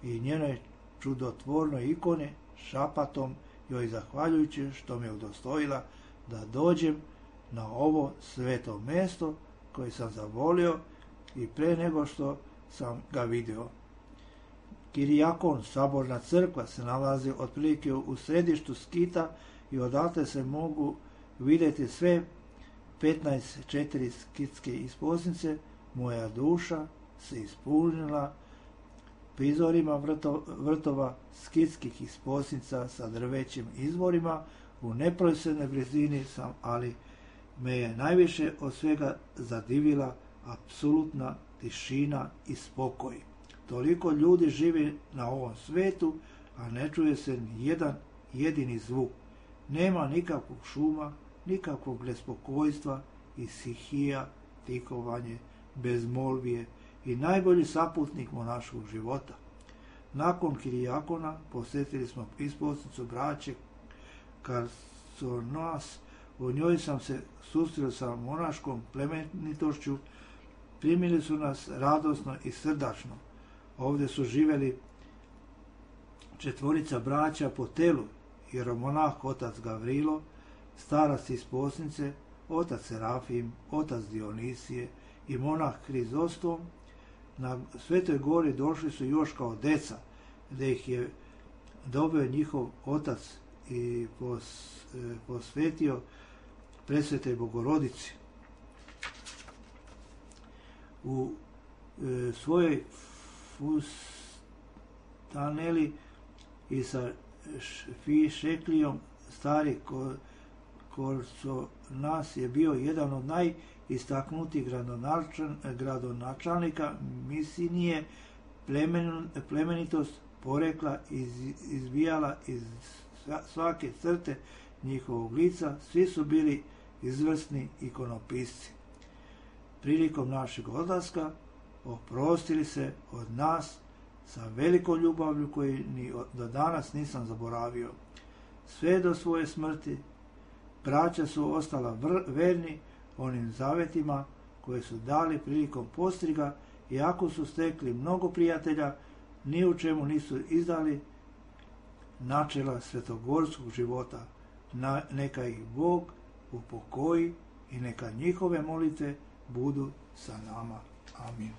i njenoj čudotvornoj ikone, šapatom joj zahvaljujući što me udostojila da dođem na ovo sveto mesto koje sam zavolio i pre nego što sam ga vidio. Kirijakon, saborna crkva, se nalazi otprilike u središtu skita i odatle se mogu vidjeti sve 15 skitske isposnice. Moja duša se ispunila prizorima vrtova skitskih isposnica sa drvećim izvorima. U neposrednoj blizini sam, ali me je najviše od svega zadivila apsolutna tišina i spokoj. Toliko ljudi živi na ovom svetu, a ne čuje se ni jedan jedini zvuk. Nema nikakvog šuma, nikakvog nespokojstva i stihija, tikovanje, bezmolvije i najbolji saputnik monaškog života. Nakon Kirijakona posjetili smo isposnicu braće Karsonas. U njoj sam se susreo sa monaškom plemenitošću. Primili su nas radosno i srdačno. Ovdje su živjeli 4 braća po telu, jeromonah otac Gavrilo, starac isposnice, otac Serafim, otac Dionisije i monah Hrizostom. Na Svetoj gori došli su još kao deca, gdje ih je dobio njihov otac i posvetio Presvetoj Bogorodici. U svojoj fustaneli i sa šeklijom stari Korsonas je bio jedan od najistaknutijih gradonačelnika Misinije. Plemenitost porekla izbijala iz svake crte njihovog lica. Svi su bili izvrsni ikonopisci. Prilikom našeg odlaska oprostili se od nas sa velikom ljubavlju koju ni do danas nisam zaboravio. Sve do svoje smrti braća su ostala verni onim zavetima koje su dali prilikom postriga, iako su stekli mnogo prijatelja, ni u čemu nisu izdali načela svetogorskog života. Neka ih Bog upokoji i neka njihove molitve budu sa nama. Amin.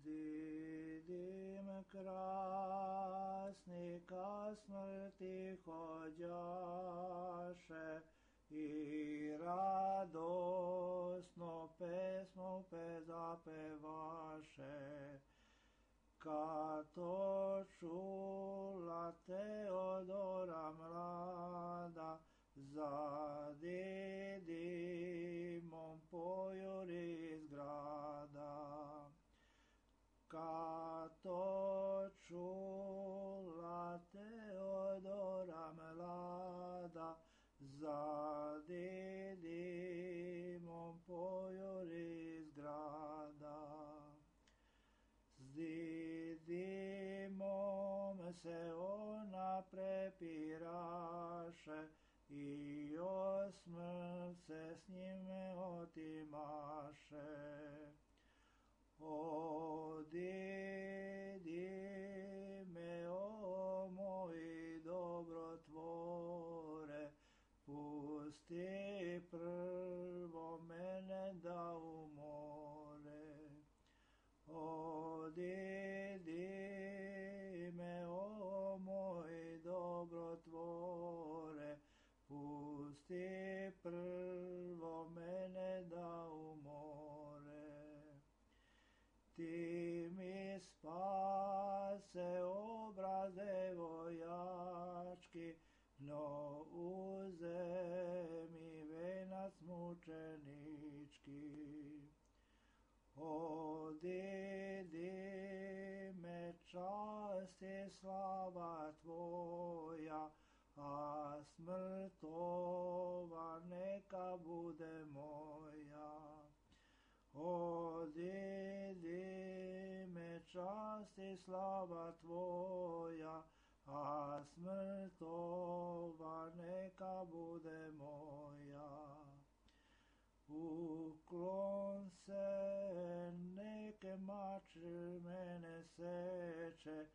Vidim krasnika smrti hođaše i radosno pesmu zapevaše. Kad to čula Teodora mlada, za didimom pojuri iz grada. Kad to čula Teodora mlada, za didimom pojuri iz grada. S didimom se ona prepiraše i o smrt se s njime otimaše. O didime, o moji dobrotvore, pusti prvo mene da umore. O didime, o moji dobrotvore, pusti prvo mene da umore. Ti mi spase obraz devojački, no uzemi venac mučenički. O didime, čast i slava tvoja, a smrt ova neka bude moja. O didime, čast i slava tvoja, a smrt ova neka bude moja. Uklon se, neke mač mene seče,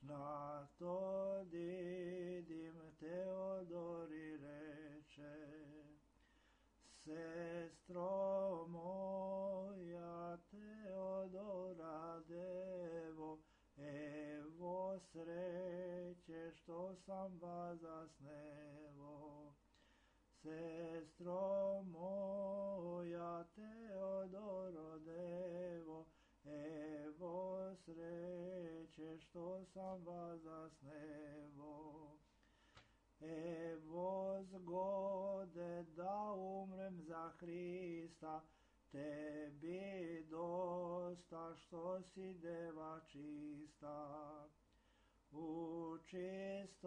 na to didim Teodori reče. Sestro moja Teodora devo, evo sreće što sam vas zasnevo. Sestro moja Teodoro devo, evo sreće što sam vas zasnevo. Evo zgode da umrem za Hrista, tebi dosta što si deva čista. U čistoti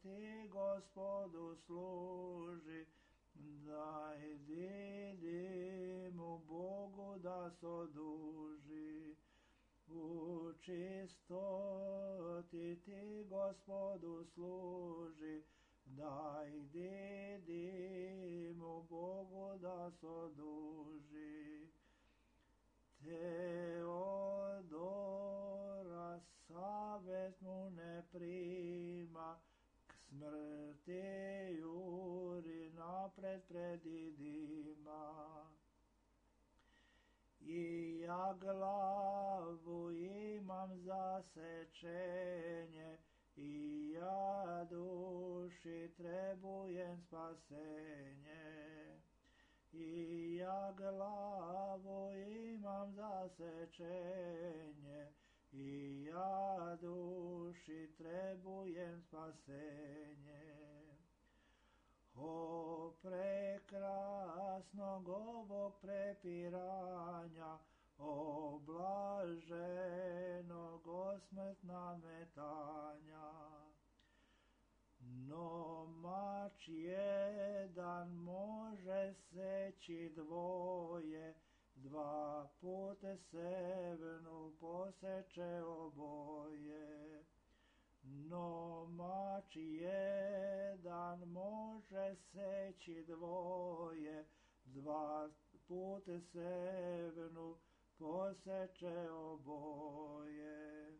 ti Gospodu služi, daj didimu Bogu da soduži. U čistoti ti Gospodu služi, daj didimu Bogu da soduži. Teodora savjet mu ne prima, k smrti juri napred pred didima. I ja glavu imam zasečenje, i ja duši trebujem spasenje. I ja glavu imam zasečenje, i ja duši trebujem spasenje. O prekrasnog ovog prepiranja, o blaženog osmrtna metanja. No mač jedan može seći seći dvoje, dva puta sevenu poseče oboje. No mač jedan može seći dvoje, dva puta sevenu poseče oboje.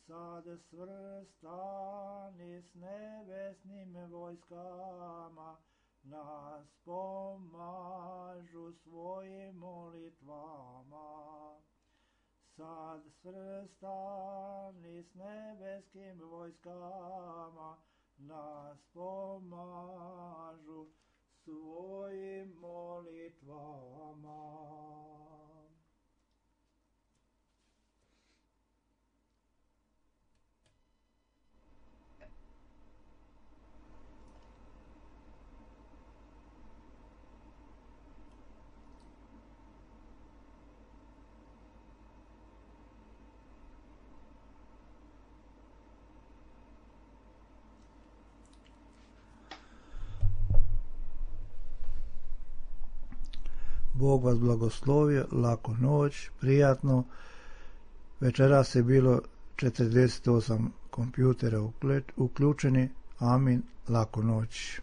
Sad svrstani s nebesnim vojskama, nas pomažu svojim molitvama. Sad svrstani s nebeskim vojskama, nas pomažu svojim molitvama. Bog vas blagoslovio, laku noć, prijatno. Večeras je bilo 48 kompjutera uključeni. Amin, laku noć.